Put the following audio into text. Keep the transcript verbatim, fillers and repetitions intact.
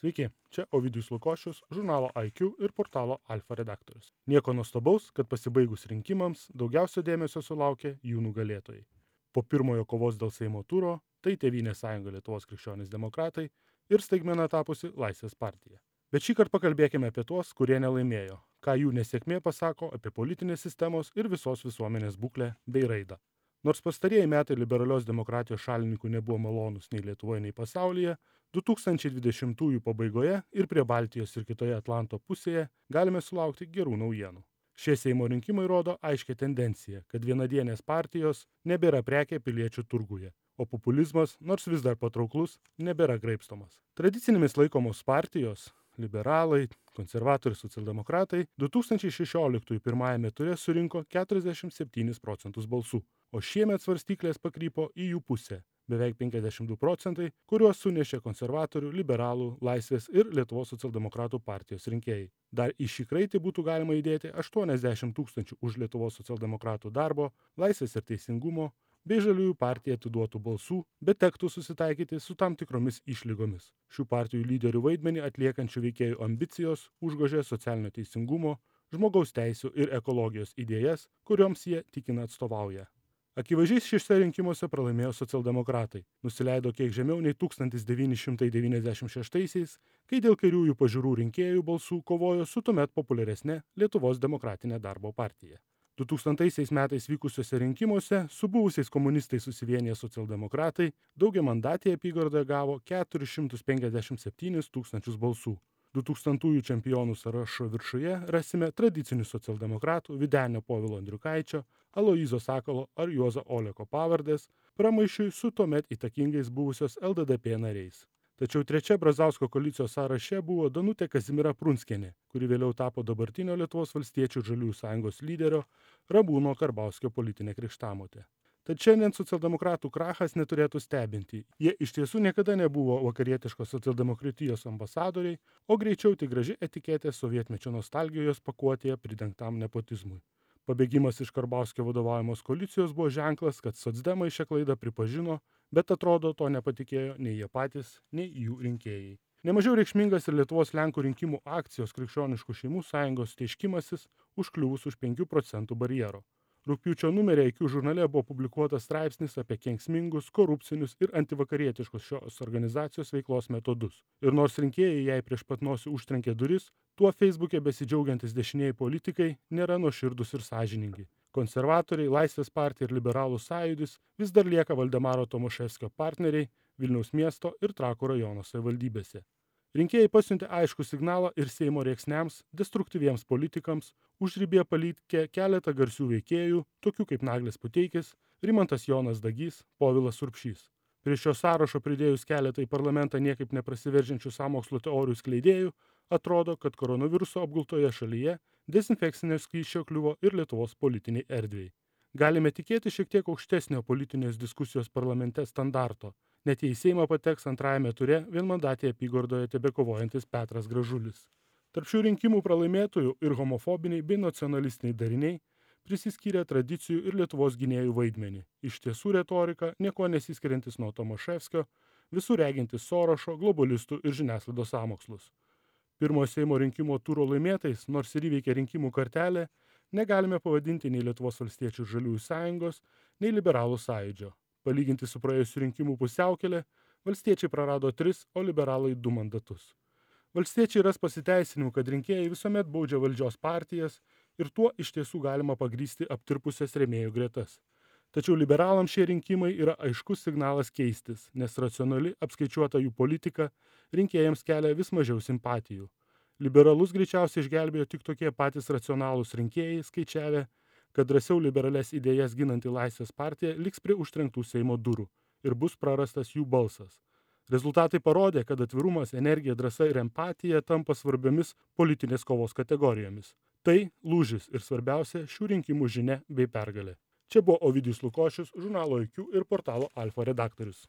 Sveiki, čia Ovidijus Lukošius, žurnalo I Q ir portalo Alfa redaktorius. Nieko nuostabaus, kad pasibaigus rinkimams daugiausia dėmesio sulaukė jų nugalėtojai. Po pirmojo kovos dėl Seimo turo tai Tėvynės sąjunga Lietuvos krikščionys demokratai ir staigmena tapusi Laisvės partija. Bet šį kartą pakalbėkime apie tuos, kurie nelaimėjo, ką jų nesėkmė pasako apie politinės sistemos ir visos visuomenės būklę bei raidą. Nors pastarieji metai liberalios demokratijos šalininkų nebuvo malonus nei Lietuvoje, nei pasaulyje, du tūkstančiai dvidešimtųjų pabaigoje ir prie Baltijos ir kitoje Atlanto pusėje galime sulaukti gerų naujienų. Šie Seimo rinkimai rodo aiškią tendenciją, kad vienadienės partijos nebėra prekė piliečių turguje, o populizmas, nors vis dar patrauklus, nebėra graibstomas. Tradicinėmis laikomos partijos – liberalai, konservatoriai, socialdemokratai – du tūkstančiai šešioliktųjų pirmajame ture surinko keturiasdešimt septynis procentus balsų, o šiemet svarstyklės pakrypo į jų pusę – beveik penkiasdešimt du procentai, kuriuos sunešė konservatorių, liberalų, Laisvės ir Lietuvos socialdemokratų partijos rinkėjai. Dar į šį kraitį būtų galima įdėti aštuoniasdešimt tūkstančių už Lietuvos socialdemokratų darbo, Laisvės ir teisingumo bei Žaliųjų partijai atiduotų balsų, bet tektų susitaikyti su tam tikromis išlygomis. Šių partijų lyderių vaidmenį atliekančių veikėjų ambicijos užgožė socialinio teisingumo, žmogaus teisių ir ekologijos idėjas, kurioms jie tikina atstovauja. Akivaizdžiai šiuose rinkimuose pralaimėjo socialdemokratai, nusileido kiek žemiau nei tūkstantis devyni šimtai devyniasdešimt šeštaisiais, kai dėl kairiųjų pažiūrų rinkėjų balsų kovojo su tuomet populiaresne Lietuvos demokratinė darbo partija. du tūkstantaisiais metais vykusiuose rinkimuose su buvusiais komunistais susivieniję socialdemokratai daugiamandatėje apygardoje gavo keturis šimtus penkiasdešimt septynis tūkstančius balsų. du tūkstantųjų čempionų sąrašo viršuje rasime tradicinių socialdemokratų Vydenio Povilo Andriukaičio, Aloyzo Sakalo ar Juozo Oleko pavardės, pramaišiui su tuomet įtakingais buvusios L D D P nariais. Tačiau trečia Brazausko koalicijos sąraše buvo Danutė Kazimiera Prunskienė, kuri vėliau tapo dabartinio Lietuvos valstiečių ir Žaliųjų sąjungos lyderio Ramūno Karbauskio politinė krikštamotė. Tad šiandien socialdemokratų krachas neturėtų stebinti. Jie iš tiesų niekada nebuvo vakarietiškos socialdemokratijos ambasadoriai, o greičiau tik graži etiketė sovietmečio nostalgijos pakuotėje pridengtam nepotizmui. Pabėgimas iš Karbauskio vadovaujamos koalicijos buvo ženklas, kad socdemai šią klaidą pripažino, bet atrodo to nepatikėjo nei jie patys, nei jų rinkėjai. Nemažiau reikšmingas ir Lietuvos Lenkų rinkimų akcijos Krikščioniškų šeimų sąjungos teiškimasis užkliuvus už penkių procentų barjero. Rugpjūčio numeryje I Q žurnale buvo publikuotas straipsnis apie kenksmingus, korupcinius ir antivakarietiškus šios organizacijos veiklos metodus. Ir nors rinkėjai jai prieš pat nosį užtrenkė duris, tuo Facebook'e besidžiaugiantis dešinieji politikai nėra nuoširdūs ir sąžiningi. Konservatoriai, Laisvės partija ir Liberalų sąjūdis vis dar lieka Valdemaro Tomaševskio partneriai Vilniaus miesto ir Trakų rajono savivaldybėse. Rinkėjai pasiuntė aiškų signalą ir Seimo rėksniams, destruktyviems politikams, užribėje palikė keletą garsių veikėjų, tokių kaip Naglis Puteikis, Rimantas Jonas Dagys, Povilas Urbšys. Prie šio sąrašo pridėjus keletą į parlamentą niekaip neprasiveržiančių sąmokslo teorijų skleidėjų, atrodo, kad koronaviruso apgultoje šalyje dezinfekcinio skysčio kliuvo ir Lietuvos politiniai erdvei. Galime tikėti šiek tiek aukštesnio politinės diskusijos parlamente standarto, net jei į Seimą pateks antrajame ture vienmandatėje apygardoje tebekovojantis Petras Gražulis. Tarp šių rinkimų pralaimėtojų ir homofobiniai bei nacionalistiniai dariniai prisiskyrė tradicijų ir Lietuvos gynėjų vaidmenį. Iš tiesų retorika nieko nesiskiriantis nuo Tomaševskio, visur regintis Sorošo, globalistų ir žiniasklaidos sąmokslus. Pirmojo Seimo rinkimo turo laimėtais, nors ir įveikė rinkimų kartelę, negalime pavadinti nei Lietuvos valstiečių ir Žaliųjų sąjungos, nei Liberalų sąjūdžio. Palyginti su praėjusių rinkimų pusiaukelė, valstiečiai prarado tris, o liberalai du mandatus. Valstiečiai ras pasiteisinimų, kad rinkėjai visuomet baudžia valdžios partijas ir tuo iš tiesų galima pagrįsti aptirpusias rėmėjų gretas. Tačiau liberalams šie rinkimai yra aiškus signalas keistis, nes racionali apskaičiuota jų politika rinkėjams kelia vis mažiau simpatijų. Liberalus greičiausiai išgelbėjo tik tokie patys racionalūs rinkėjai, skaičiavę, kad drąsiau liberales idėjas ginanti Laisvės partija liks prie užtrenktų Seimo durų ir bus prarastas jų balsas. Rezultatai parodė, kad atvirumas, energija, drąsa ir empatija tampa svarbiomis politinės kovos kategorijomis. Tai lūžis ir svarbiausia šių rinkimų žinia bei pergalė. Čia buvo Ovidijus Lukošius, žurnalo I Q ir portalo Alfa redaktorius.